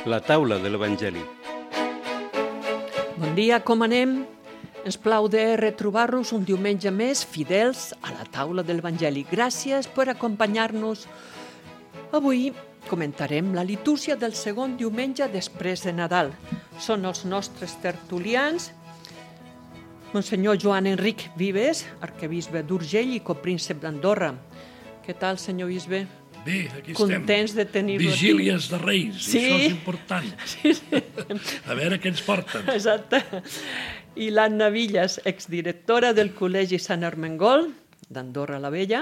La taula de l'Evangeli. Bon dia, com anem? Ens plau de retrobar-nos un diumenge més fidels a la taula de l'Evangeli. Gràcies per acompanyar-nos. Avui comentarem la litúrgia del segon diumenge després de Nadal. Són els nostres tertulians, Monsenyor Joan Enric Vives, arquebisbe d'Urgell i copríncep d'Andorra. Què tal, senyor bisbe? Bé, aquí Contents estem. de tenir-lo aquí. Vigílies de Reis, Sí. això és important. Sí. A veure què ens porten. Exacte. I l'Anna Villas, exdirectora del Col·legi Sant Ermengol d'Andorra la Vella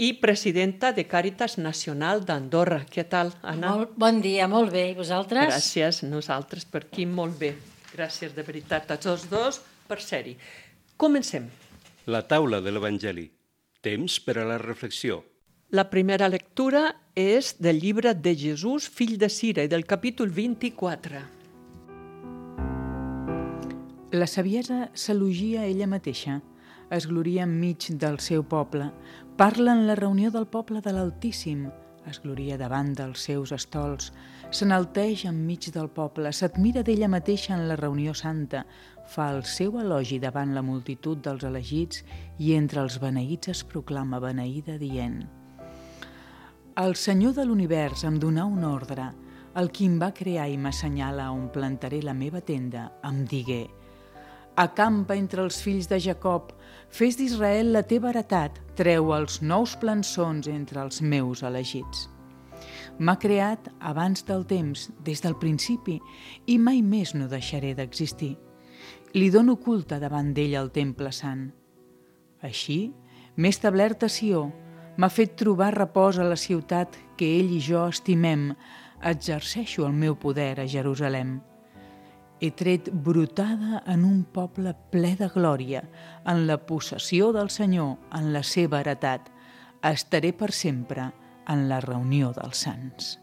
i presidenta de Càritas Nacional d'Andorra. Què tal, Anna? Bon dia, molt bé. I vosaltres? Gràcies, nosaltres per aquí molt bé. Gràcies de veritat a tots dos per ser-hi. Comencem. La taula de l'Evangeli. Temps per a la reflexió. La primera lectura és del llibre de Jesús, fill de Sira, i del capítol 24. La saviesa s'elogia ella mateixa, es gloria enmig del seu poble, parla en la reunió del poble de l'Altíssim, es gloria davant dels seus estols, s'enalteix enmig del poble, s'admira d'ella mateixa en la reunió santa, fa el seu elogi davant la multitud dels elegits i entre els beneïts es proclama beneïda dient: El Senyor de l'univers em donà un ordre, el qui em va crear i m'assenyala on plantaré la meva tenda, em digué: Acampa entre els fills de Jacob, fes d'Israel la teva heretat, treu els nous plançons entre els meus elegits. M'ha creat abans del temps, des del principi, i mai més no deixaré d'existir. Li dono culte davant d'ell al temple sant. Així, m'he establert a Sió, m'ha fet trobar repòs a la ciutat que ell i jo estimem, exerceixo el meu poder a Jerusalem. He tret brotada en un poble ple de glòria, en la possessió del Senyor, en la seva heretat. Estaré per sempre en la reunió dels sants.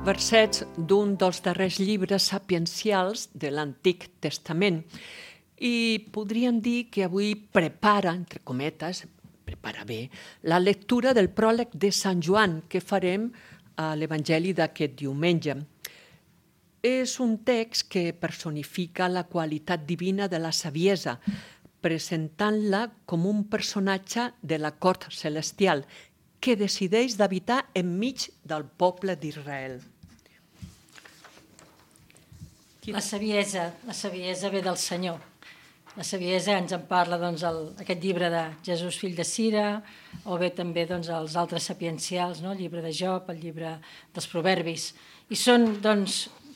Versets d'un dels darrers llibres sapiencials de l'Antic Testament. I podríem dir que avui prepara, entre cometes, prepara bé, la lectura del pròleg de Sant Joan que farem a l'Evangeli d'aquest diumenge. És un text que personifica la qualitat divina de la saviesa, presentant-la com un personatge de la cort celestial que decideix d'habitar enmig del poble d'Israel. La saviesa ve del Senyor. La saviesa ens en parla aquest llibre de Jesús, fill de Sira, o bé també els altres sapiencials, el llibre de Job, el llibre dels Proverbis. I són,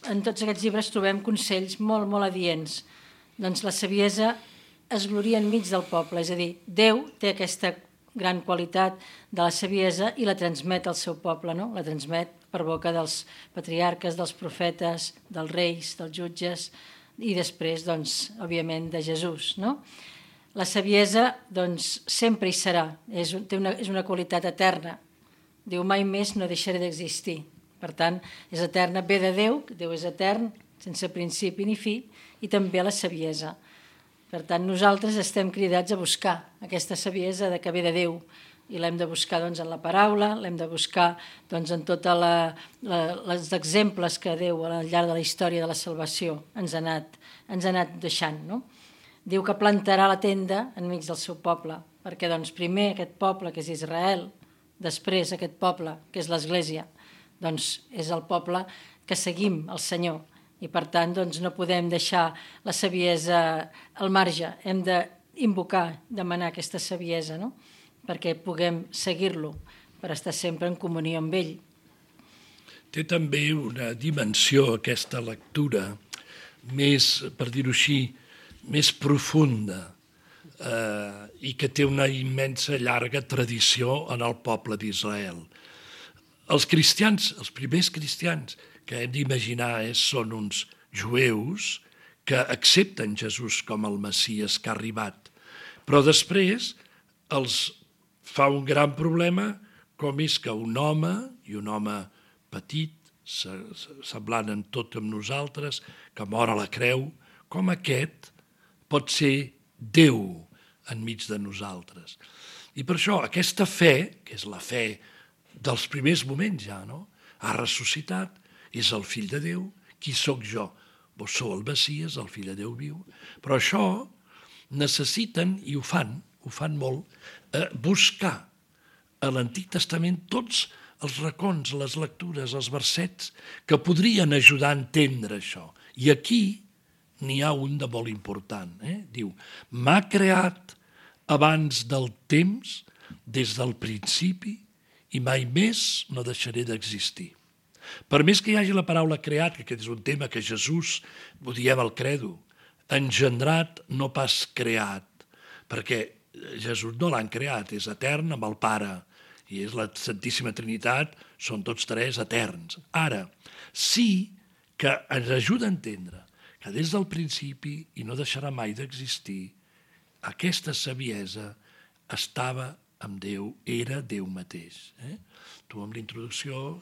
en tots aquests llibres trobem consells molt, molt adients. La saviesa es gloria enmig del poble, és a dir, Déu té aquesta gran qualitat de la saviesa i la transmet al seu poble, no? La transmet per boca dels patriarques, dels profetes, dels reis, dels jutges i després, òbviament, de Jesús, no? La saviesa, sempre hi serà, és una qualitat eterna. Diu, mai més no deixaré d'existir. Per tant, és eterna, ve de Déu, Déu és etern, sense principi ni fi, i també la saviesa. Per tant, nosaltres estem cridats a buscar aquesta saviesa que ve de Déu i l'hem de buscar en la paraula, l'hem de buscar en tots els exemples que Déu al llarg de la història de la salvació ens ha anat deixant. No? Diu que plantarà la tenda enmig del seu poble, perquè primer aquest poble que és Israel, després aquest poble que és l'Església, és el poble que seguim el Senyor. I per tant no podem deixar la saviesa al marge, hem d'invocar, demanar aquesta saviesa, no? Perquè puguem seguir-lo, per estar sempre en comunió amb ell. Té també una dimensió, aquesta lectura, més, per dir-ho així, més profunda i que té una immensa llarga tradició en el poble d'Israel. Els cristians, els primers cristians, que hem d'imaginar són uns jueus que accepten Jesús com el Messies que ha arribat. Però després els fa un gran problema com és que un home, i un home petit, semblant en tot amb nosaltres, que mor a la creu, com aquest pot ser Déu enmig de nosaltres. I per això aquesta fe, que és la fe dels primers moments ja, no? ha ressuscitat, és el fill de Déu. Qui sóc jo? Vos sou el Messies, el fill de Déu viu. Però això necessiten, i ho fan molt, buscar a l'Antic Testament tots els racons, les lectures, els versets que podrien ajudar a entendre això. I aquí n'hi ha un de molt important. Diu, m'ha creat abans del temps, des del principi, i mai més no deixaré d'existir. Per més que hi hagi la paraula creat, que aquest és un tema que Jesús, ho diem al credo, engendrat, no pas creat, perquè Jesús no l'han creat, és etern amb el Pare, i és la Santíssima Trinitat, són tots tres eterns. Ara, sí que ens ajuda a entendre que des del principi, i no deixarà mai d'existir, aquesta saviesa estava amb Déu, era Déu mateix. Tu amb l'introducció,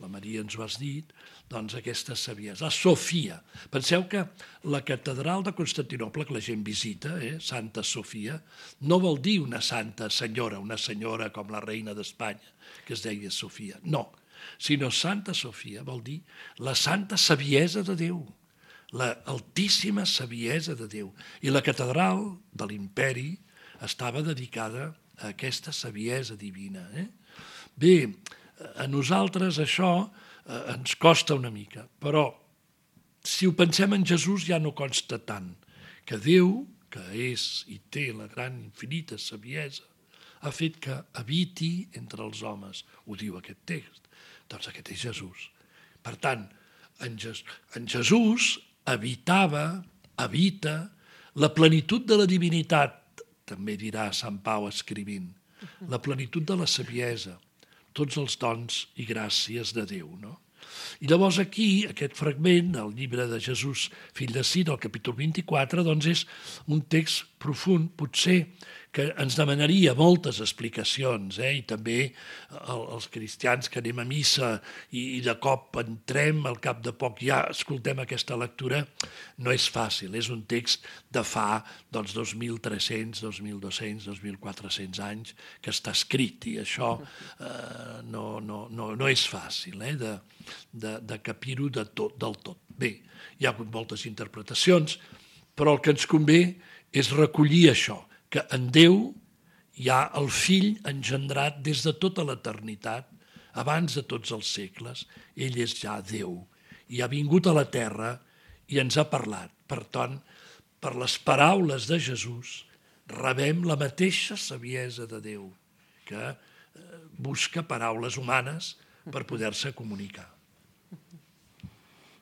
la Maria ens ho has dit, doncs aquesta saviesa. La Sofia. Penseu que la catedral de Constantinoble, que la gent visita, Santa Sofia, no vol dir una santa senyora, una senyora com la reina d'Espanya, que es deia Sofia. No, sinó Santa Sofia vol dir la santa saviesa de Déu, la altíssima saviesa de Déu. I la catedral de l'imperi estava dedicada a aquesta saviesa divina. Bé, a nosaltres això ens costa una mica, però si ho pensem en Jesús ja no consta tant, que Déu, que és i té la gran infinita saviesa, ha fet que habiti entre els homes. Ho diu aquest text. Doncs aquest és Jesús. Per tant, en Jesús habita la plenitud de la divinitat, també dirà Sant Pau escrivint, la plenitud de la saviesa, tots els dons i gràcies de Déu, no? I llavors aquí, aquest fragment del llibre de Jesús, fill de Cira, el capítol 24, doncs és un text profund, potser que ens demanaria moltes explicacions, i també els cristians que anem a missa i de cop entrem, al cap de poc ja escoltem aquesta lectura, no és fàcil, és un text de fa 2.300, 2.200, 2.400 anys que està escrit i això no és fàcil de capir-ho del tot. Bé, hi ha hagut moltes interpretacions, però el que ens convé és recollir això, que en Déu hi ha el Fill engendrat des de tota l'eternitat, abans de tots els segles. Ell és ja Déu i ha vingut a la terra i ens ha parlat. Per tant, per les paraules de Jesús rebem la mateixa saviesa de Déu, que busca paraules humanes per poder-se comunicar.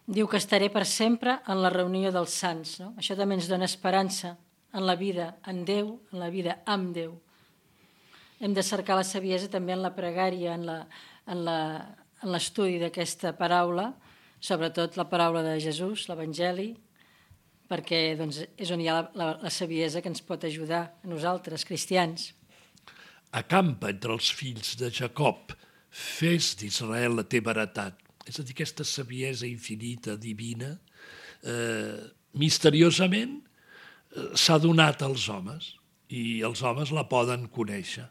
Diu que estaré per sempre en la reunió dels sants. No? Això també ens dona esperança en la vida en Déu, en la vida amb Déu. Hem de cercar la saviesa també en la pregària, en l'estudi d'aquesta paraula, sobretot la paraula de Jesús, l'Evangeli, perquè és on hi ha la saviesa que ens pot ajudar a nosaltres, cristians. Acampa entre els fills de Jacob, fes d'Israel la teva heretat. És a dir, aquesta saviesa infinita, divina, misteriosament, s'ha donat als homes i els homes la poden conèixer.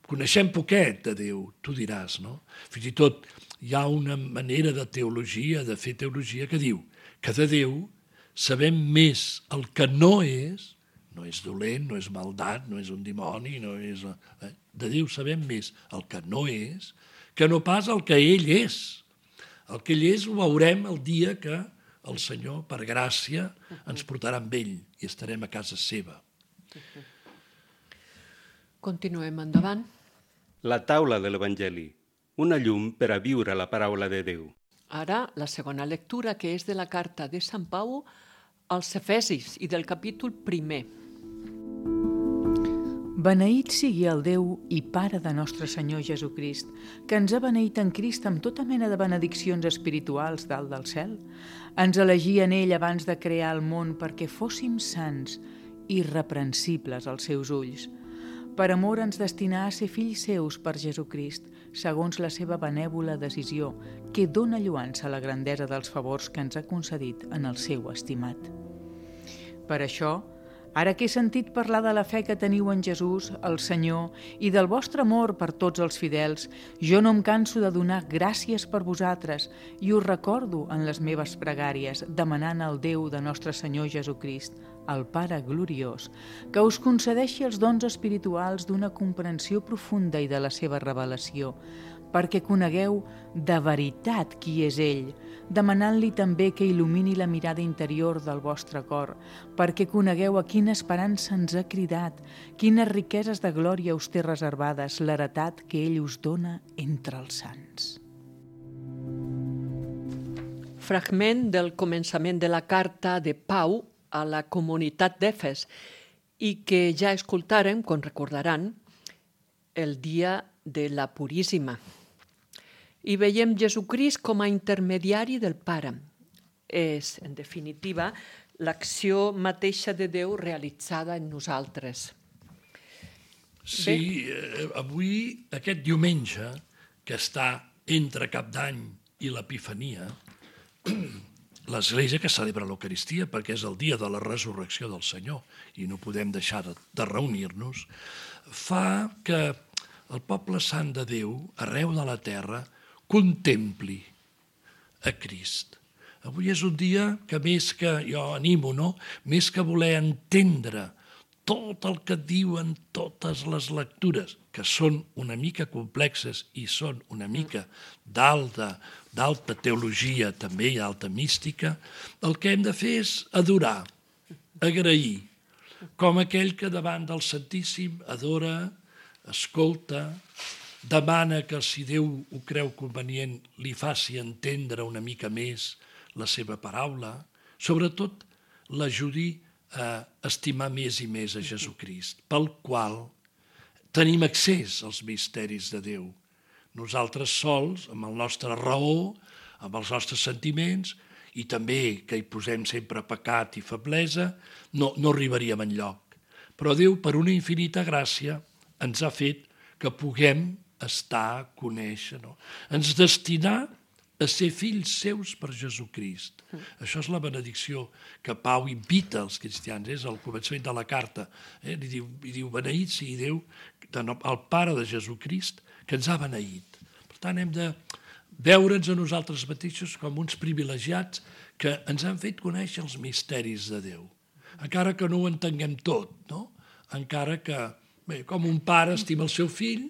Coneixem poquet de Déu, tu diràs, no? Fins i tot hi ha una manera de teologia, de fer teologia, que diu que de Déu sabem més el que no és dolent, no és maldat, no és un dimoni, no és... De Déu sabem més el que no és que no pas el que ell és. El que ell és ho veurem el dia que el Senyor, per gràcia, ens portarà amb ell i estarem a casa seva. Continuem endavant. La taula de l'Evangeli, una llum per a viure la paraula de Déu. Ara, la segona lectura, que és de la carta de Sant Pau als Efesis i del capítol 1. Beneït sigui el Déu i Pare de nostre Senyor Jesucrist, que ens ha beneït en Crist amb tota mena de benediccions espirituals dalt del cel. Ens elegí en ell abans de crear el món perquè fóssim sants, irreprensibles als seus ulls. Per amor ens destinà a ser fills seus per Jesucrist, segons la seva benèvola decisió, que dóna lloança a la grandesa dels favors que ens ha concedit en el seu estimat. Per això, Ara que he sentit parlar de la fe que teniu en Jesús, el Senyor, i del vostre amor per tots els fidels, jo no em canso de donar gràcies per vosaltres i us recordo en les meves pregàries, demanant al Déu de nostre Senyor Jesucrist, el Pare gloriós, que us concedeixi els dons espirituals d'una comprensió profunda i de la seva revelació, perquè conegueu de veritat qui és ell, demanant-li també que il·lumini la mirada interior del vostre cor, perquè conegueu a quina esperança ens ha cridat, quines riqueses de glòria us té reservades, l'heretat que ell us dona entre els sants. Fragment del començament de la carta de Pau a la comunitat d'Efes i que ja escoltàrem, com recordaran, el dia de la Puríssima. I veiem Jesucrist com a intermediari del Pare. És, en definitiva, l'acció mateixa de Déu realitzada en nosaltres. Sí, avui, aquest diumenge, que està entre Cap d'Any i l'Epifania, l'Església que celebra l'Eucaristia, perquè és el dia de la resurrecció del Senyor i no podem deixar de reunir-nos, fa que el poble sant de Déu, arreu de la terra, contempli a Crist. Avui és un dia que més que, jo animo, no? Més que voler entendre tot el que diuen totes les lectures, que són una mica complexes i són una mica d'alta teologia també i alta mística, el que hem de fer és adorar, agrair, com aquell que davant del Santíssim adora, escolta, demana que si Déu ho creu convenient li faci entendre una mica més la seva paraula, sobretot l'ajudi a estimar més i més a Jesucrist, pel qual tenim accés als misteris de Déu. Nosaltres sols, amb la nostra raó, amb els nostres sentiments, i també que hi posem sempre pecat i feblesa, no arribaríem enlloc. Però Déu, per una infinita gràcia, ens ha fet que puguem estar, conèixer, no? Ens destinar a ser fills seus per Jesucrist. Això és la benedicció que Pau invita als cristians, és al començament de la carta. Li diu, beneït sigui Déu, el Pare de Jesucrist, que ens ha beneït. Per tant, hem de veure'ns a nosaltres mateixos com uns privilegiats que ens han fet conèixer els misteris de Déu. Encara que no ho entenguem tot, no? Encara que, bé, com un pare estima el seu fill,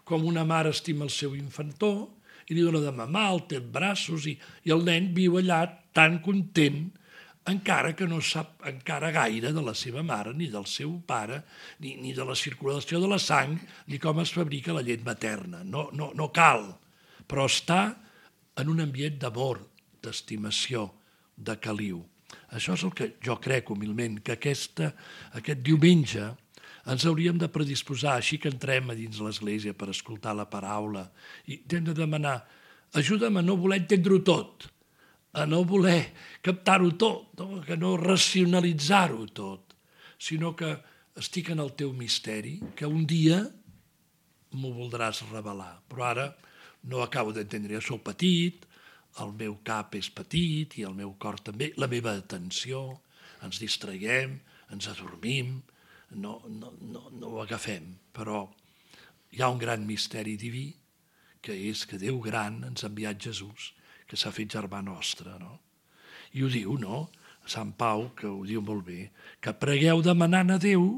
com una mare estima el seu infantó, i li dona de mamar, el té en braços, i el nen viu allà tan content, encara que no sap encara gaire de la seva mare, ni del seu pare, ni de la circulació de la sang, ni com es fabrica la llet materna. No cal, però està en un ambient d'amor, d'estimació, de caliu. Això és el que jo crec humilment, que aquest diumenge ens hauríem de predisposar, així que entrem a dins l'església per escoltar la paraula, i hem de demanar, ajuda'm a no voler entendre-ho tot, a no voler captar-ho tot, no? Que no racionalitzar-ho tot, sinó que estic en el teu misteri, que un dia m'ho voldràs revelar. Però ara no acabo d'entendre, jo soc petit, el meu cap és petit i el meu cor també, la meva atenció, ens distraiem, ens adormim, no ho agafem, però hi ha un gran misteri diví, que és que Déu gran ens ha enviat Jesús, que s'ha fet germà nostre, no? I ho diu, no? Sant Pau, que ho diu molt bé, que pregueu demanant a Déu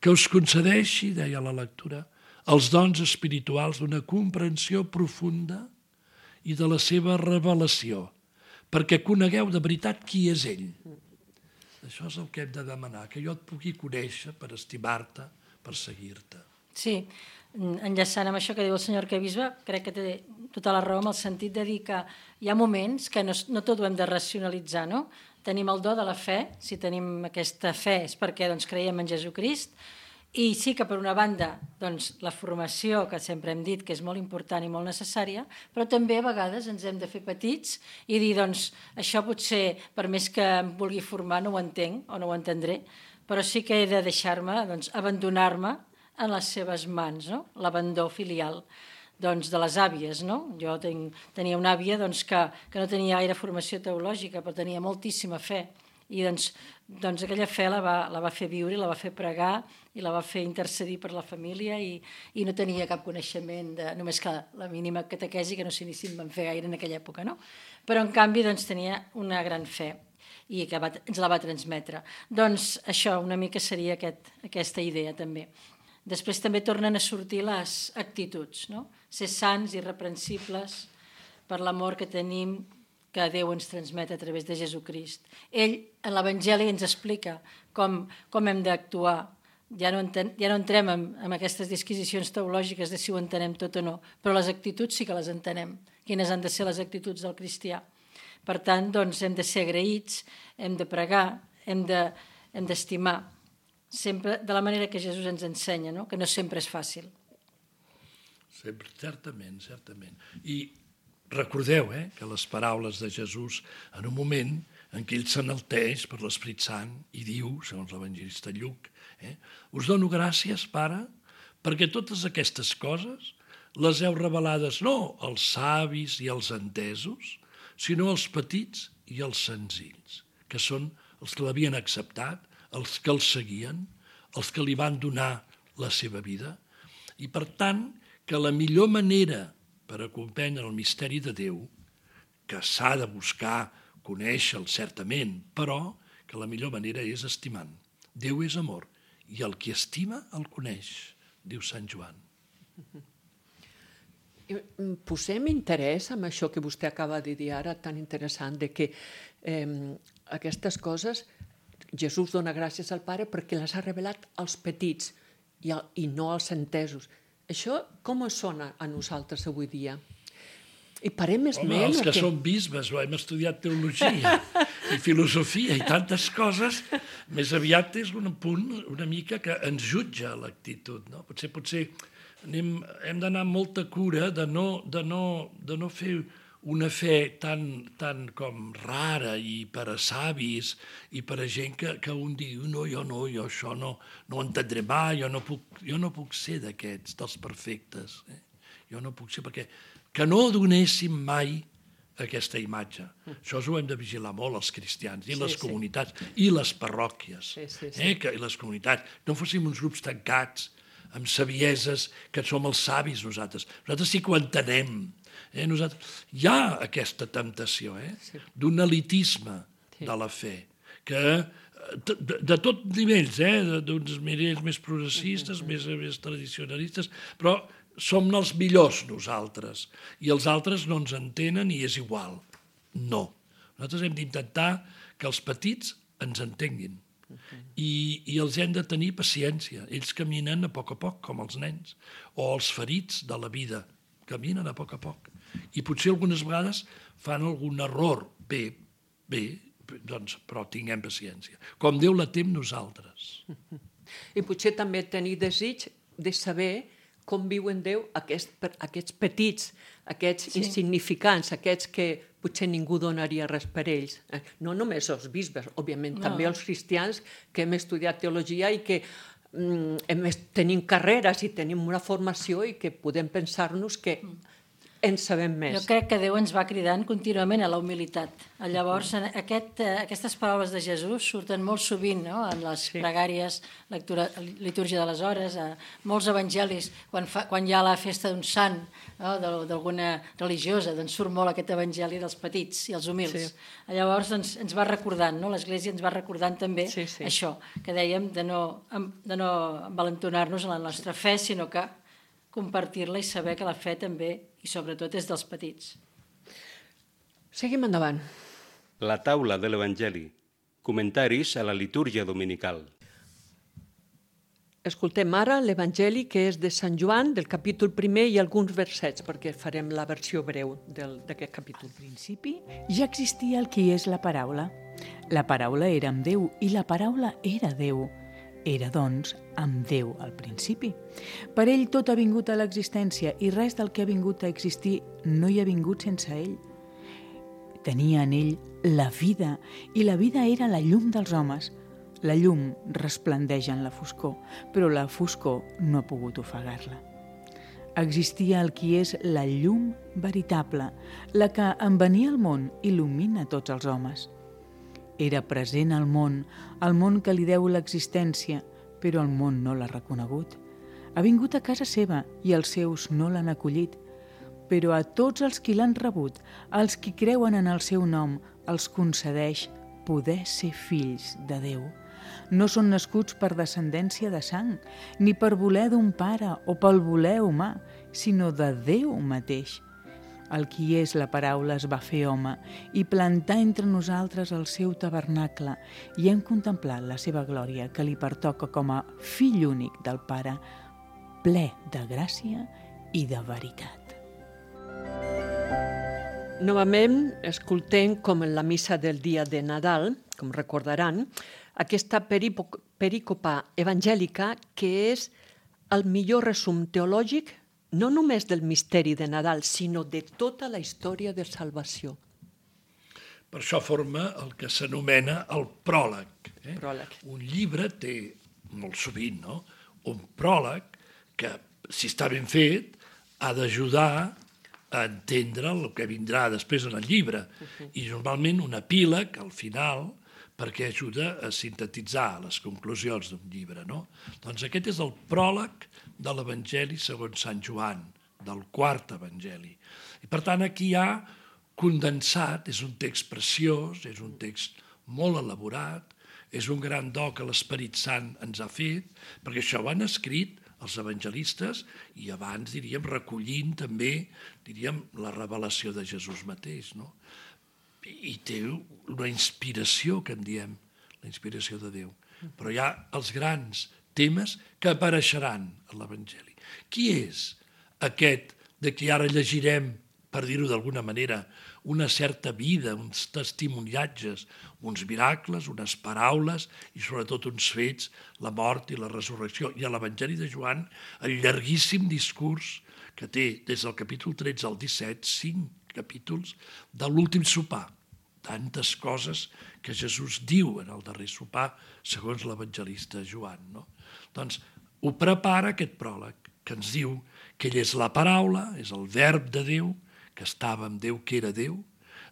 que us concedeixi, deia la lectura, els dons espirituals d'una comprensió profunda i de la seva revelació, perquè conegueu de veritat qui és ell. Això és el que hem de demanar, que jo et pugui conèixer per estimar-te, per seguir-te. Sí, enllaçant amb això que diu el senyor arquebisbe, crec que té tota la raó en el sentit de dir que hi ha moments que no tot ho hem de racionalitzar, no? Tenim el do de la fe, si tenim aquesta fe és perquè creiem en Jesucrist, i sí que per una banda la formació, que sempre hem dit que és molt important i molt necessària, però també a vegades ens hem de fer petits i dir, això potser, per més que em vulgui formar, no ho entenc o no ho entendré, però sí que he de deixar-me, abandonar-me en les seves mans, no? L'abandó filial de les àvies, no? Jo tenia una àvia que no tenia gaire formació teològica, però tenia moltíssima fe, I doncs aquella fe la va fer viure, la va fer pregar i la va fer intercedir per la família i no tenia cap coneixement, només que la mínima catequesi, que no sé ni si en van fer gaire en aquella època, no? Però en canvi doncs, tenia una gran fe i que ens la va transmetre. Doncs això una mica seria aquesta idea també. Després també tornen a sortir les actituds, no? Ser sants, irreprensibles, per l'amor que tenim, que Déu ens transmet a través de Jesucrist. Ell, en l'Evangeli, ens explica com hem d'actuar. Ja no entrem en aquestes disquisicions teològiques de si ho entenem tot o no, però les actituds sí que les entenem. Quines han de ser les actituds del cristià? Per tant, doncs, hem de ser agraïts, hem de pregar, hem d'estimar, sempre de la manera que Jesús ens ensenya, no? Que no sempre és fàcil. Certament. I recordeu que les paraules de Jesús, en un moment en què ell s'enalteix per l'Esperit Sant i diu, segons l'evangelista Lluc, us dono gràcies, Pare, perquè totes aquestes coses les heu revelades no als savis i als entesos, sinó als petits i als senzills, que són els que l'havien acceptat, els que el seguien, els que li van donar la seva vida. I per tant, que la millor manera per a comprendre el misteri de Déu, que s'ha de buscar conèixer-lo certament, però que la millor manera és estimant. Déu és amor, i el qui estima el coneix, diu Sant Joan. Posem interès en això que vostè acaba de dir ara, tan interessant, de que aquestes coses Jesús dona gràcies al Pare perquè les ha revelat als petits i no als entesos. Això com sona a nosaltres avui dia? I parem més Home, els que som bisbes, hem estudiat teologia i filosofia i tantes coses, més aviat és un punt una mica que ens jutja l'actitud, no? Potser hem d'anar amb molta cura de no fer una fe tan com rara i per a savis i per a gent que un diu jo això no ho entendré mai, jo no puc ser d'aquests, dels perfectes. Jo no puc ser, perquè que no donéssim mai aquesta imatge. Això ho hem de vigilar molt els cristians i les comunitats i les parròquies. Que les comunitats no fóssim uns grups tancats amb savieses que som els savis nosaltres. Nosaltres sí que ho entenem. Hi ha aquesta temptació d'un elitisme de la fe, que de tot nivells, d'uns nivells més progressistes, més tradicionalistes, però som els millors nosaltres, i els altres no ens entenen i és igual. No. Nosaltres hem d'intentar que els petits ens entenguin i els hem de tenir paciència. Ells caminen a poc, com els nens, o els ferits de la vida, caminen a poc, i potser algunes vegades fan algun error. Bé, doncs, però tinguem paciència. Com Déu la té amb nosaltres. I potser també tenir desig de saber com viuen Déu aquests petits, aquests insignificants, aquests que potser ningú donaria res per ells. No només els bisbes, òbviament, també els cristians que hem estudiat teologia i que tenim carreres i tenim una formació i que podem pensar-nos que en sabem més. Jo crec que Déu ens va cridant contínuament a la humilitat. Llavors, aquestes paraules de Jesús surten molt sovint en les pregàries, litúrgia de les hores, a molts evangelis, quan hi ha la festa d'un sant, d'alguna religiosa, doncs surt molt aquest evangeli dels petits i els humils. Llavors, ens va recordant, l'Església ens va recordant també això, que dèiem de no envalentonar-nos en la nostra fe, sinó que compartir-la i saber que la fe també, i sobretot, és dels petits. Seguim endavant. La taula de l'Evangeli. Comentaris a la litúrgia dominical. Escoltem ara l'Evangeli que és de Sant Joan, del capítol 1 i alguns versets, perquè farem la versió breu d'aquest capítol. Al principi ja existia el qui és la paraula. La paraula era amb Déu i la paraula era Déu. Era, doncs, amb Déu al principi. Per ell tot ha vingut a l'existència i res del que ha vingut a existir no hi ha vingut sense ell. Tenia en ell la vida i la vida era la llum dels homes. La llum resplendeix en la foscor, però la foscor no ha pogut ofegar-la. Existia el qui és la llum veritable, la que en venir al món il·lumina tots els homes. Era present al món que li deu l'existència, però el món no l'ha reconegut. Ha vingut a casa seva i els seus no l'han acollit, però a tots els qui l'han rebut, als qui creuen en el seu nom, els concedeix poder ser fills de Déu. No són nascuts per descendència de sang, ni per voler d'un pare o pel voler humà, sinó de Déu mateix. El qui és la paraula es va fer home i plantà entre nosaltres el seu tabernacle i hem contemplat la seva glòria que li pertoca com a fill únic del Pare, ple de gràcia i de veritat. Novament, escoltem, com en la missa del dia de Nadal, com recordaran, aquesta perícopa evangèlica que és el millor resum teològic no només del misteri de Nadal, sinó de tota la història de salvació. Per això forma el que s'anomena el pròleg. Pròleg. Un llibre té, molt sovint, no? Un pròleg que, si està ben fet, ha d'ajudar a entendre el que vindrà després en el llibre. I normalment un epíleg, al final, perquè ajuda a sintetitzar les conclusions d'un llibre, no? Doncs aquest és el pròleg de l'Evangeli segons Sant Joan, del quart Evangeli. I per tant aquí hi ha condensat, és un text preciós, és un text molt elaborat, és un gran do que l'Esperit Sant ens ha fet, perquè això ho han escrit els evangelistes i abans, diríem, recollint també, diríem, la revelació de Jesús mateix, no? I té una inspiració, que en diem, la inspiració de Déu. Però hi ha els grans temes que apareixeran a l'Evangeli. Qui és aquest de qui ara llegirem, per dir-ho d'alguna manera, una certa vida, uns testimoniatges, uns miracles, unes paraules i sobretot uns fets, la mort i la resurrecció. I a l'Evangeli de Joan, el llarguíssim discurs que té des del capítol 13 al 17, 5 capítols, de l'últim sopar. Tantes coses que Jesús diu en el darrer sopar, segons l'evangelista Joan, no? Doncs ho prepara aquest pròleg, que ens diu que ell és la paraula, és el verb de Déu, que estava amb Déu, que era Déu.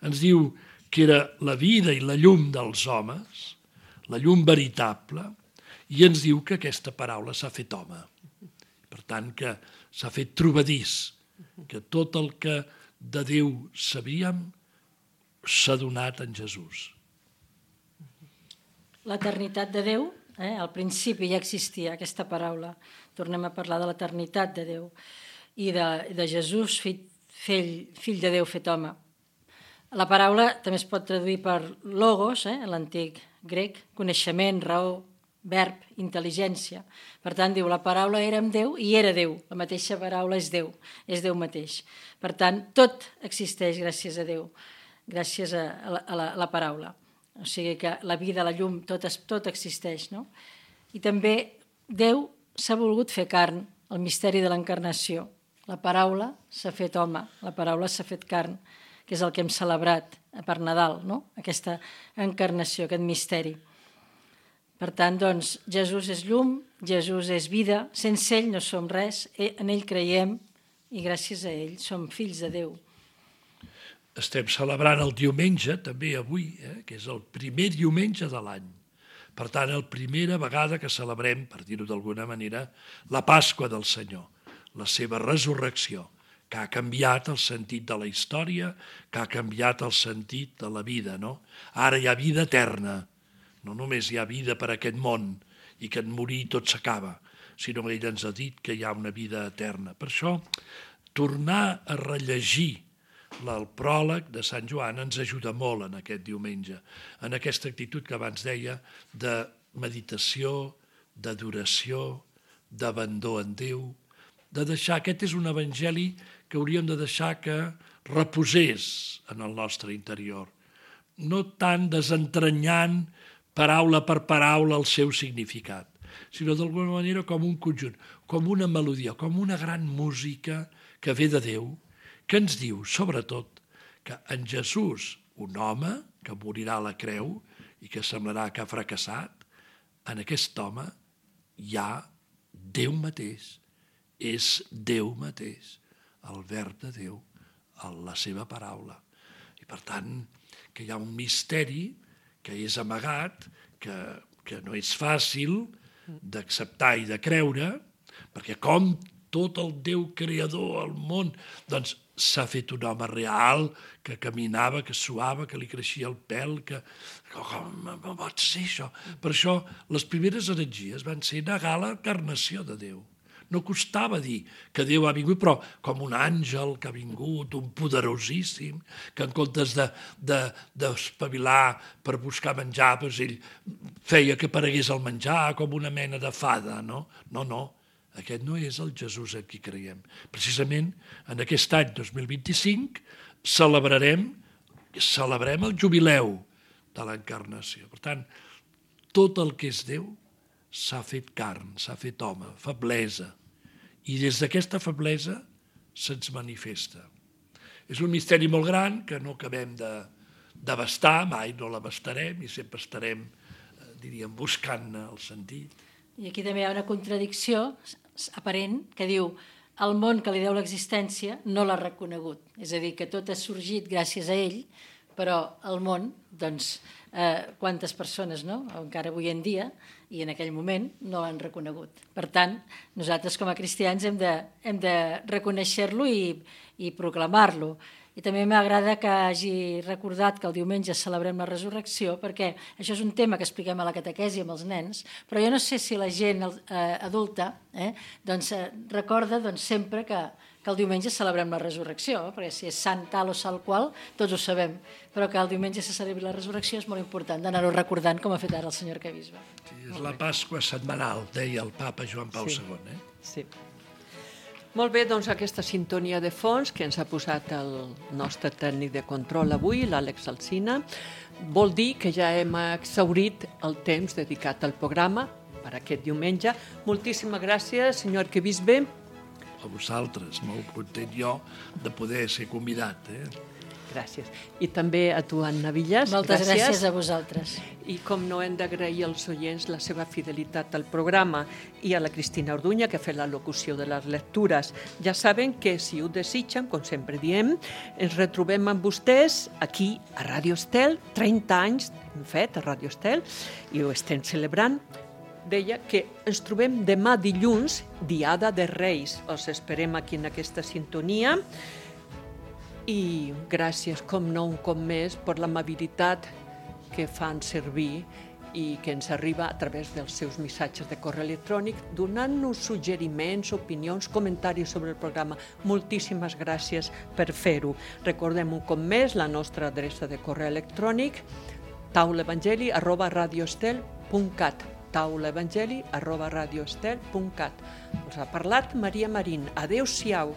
Ens diu que era la vida i la llum dels homes, la llum veritable, i ens diu que aquesta paraula s'ha fet home. Per tant, que s'ha fet trobadís, que tot el que de Déu sabíem s'ha donat en Jesús. L'eternitat de Déu, al principi ja existia aquesta paraula. Tornem a parlar de l'eternitat de Déu i de Jesús, fill de Déu fet home. La paraula també es pot traduir per logos, en l'antic grec, coneixement, raó, verb, intel·ligència. Per tant, diu, la paraula era amb Déu i era Déu. La mateixa paraula és Déu mateix. Per tant, tot existeix gràcies a Déu, gràcies a la paraula. O sigui que la vida, la llum, tot existeix, no? I també Déu s'ha volgut fer carn, el misteri de l'encarnació. La paraula s'ha fet home, la paraula s'ha fet carn, que és el que hem celebrat per Nadal, no? Aquesta encarnació, aquest misteri. Per tant, doncs, Jesús és llum, Jesús és vida, sense ell no som res, en ell creiem i gràcies a ell som fills de Déu. Estem celebrant el diumenge, també avui, que és el primer diumenge de l'any. Per tant, la primera vegada que celebrem, per dir-ho d'alguna manera, la Pasqua del Senyor, la seva resurrecció, que ha canviat el sentit de la història, que ha canviat el sentit de la vida, no? Ara hi ha vida eterna. No només hi ha vida per a aquest món i que en morir tot s'acaba, sinó que ell ens ha dit que hi ha una vida eterna. Per això, tornar a rellegir el pròleg de Sant Joan ens ajuda molt en aquest diumenge, en aquesta actitud que abans deia de meditació, d'adoració, d'abandó en Déu, de deixar, aquest és un evangeli que hauríem de deixar que reposés en el nostre interior, no tant desentranyant paraula per paraula el seu significat, sinó d'alguna manera com un conjunt, com una melodia, com una gran música que ve de Déu, que ens diu, sobretot, que en Jesús, un home que morirà a la creu i que semblarà que ha fracassat, en aquest home hi ha Déu mateix, és Déu mateix, el verb de Déu, la seva paraula. I per tant, que hi ha un misteri que és amagat, que no és fàcil d'acceptar i de creure, perquè com tot el Déu creador, el món, doncs s'ha fet un home real, que caminava, que suava, que li creixia el pèl, que... Com pot ser això? Per això les primeres heretgies van ser negar l'encarnació de Déu. No costava dir que Déu ha vingut, però com un àngel que ha vingut, un poderosíssim, que en comptes d'espavilar per buscar menjar, doncs ell feia que aparegués el menjar com una mena de fada, no? No, aquest no és el Jesús en qui creiem. Precisament en aquest any 2025 celebrem el jubileu de l'encarnació. Per tant, tot el que és Déu s'ha fet carn, s'ha fet home, feblesa. I des d'aquesta feblesa se'ns manifesta. És un misteri molt gran que no acabem d'abastar, mai no l'abastarem i sempre estarem, diríem, buscant-ne el sentit. I aquí també hi ha una contradicció aparent que diu el món que li deu l'existència no l'ha reconegut. És a dir, que tot ha sorgit gràcies a ell, però el món, doncs, quantes persones, no?, encara avui en dia, i en aquell moment no l'han reconegut. Per tant, nosaltres com a cristians hem de reconèixer-lo i proclamar-lo. I també m'agrada que hagi recordat que el diumenge celebrem la resurrecció, perquè això és un tema que expliquem a la catequesi amb els nens, però jo no sé si la gent adulta recorda sempre que el diumenge celebrem la resurrecció, perquè si és sant tal o sal qual, tots ho sabem, però que el diumenge se celebri la resurrecció és molt important d'anar-ho recordant, com ha fet ara el senyor arquebisbe. Sí, és la Pasqua setmanal, deia el papa Joan Pau II. Sí. Molt bé, doncs aquesta sintonia de fons que ens ha posat el nostre tècnic de control avui, l'Àlex Alsina, vol dir que ja hem exhaurit el temps dedicat al programa per aquest diumenge. Moltíssimes gràcies, senyor arquebisbe. A vosaltres, molt content jo de poder ser convidat. Gràcies. I també a tu, Anna Villas. Moltes gràcies a vosaltres. I com no hem d'agrair als oients la seva fidelitat al programa i a la Cristina Orduña, que ha fet la locució de les lectures. Ja saben que, si ho desitgen, com sempre diem, ens retrobem amb vostès aquí a Ràdio Estel, 30 anys hem fet a Ràdio Estel, i ho estem celebrant. Deia que ens trobem demà dilluns, Diada de Reis. Us esperem aquí en aquesta sintonia. I gràcies, com no, un cop més, per l'amabilitat que fan servir i que ens arriba a través dels seus missatges de correu electrònic, donant-nos suggeriments, opinions, comentaris sobre el programa. Moltíssimes gràcies per fer-ho. Recordem un cop més la nostra adreça de correu electrònic, taulaevangeli@radioestel.cat, taulaevangeli@radioestel.cat. Us ha parlat Maria Marín. Adéu-siau.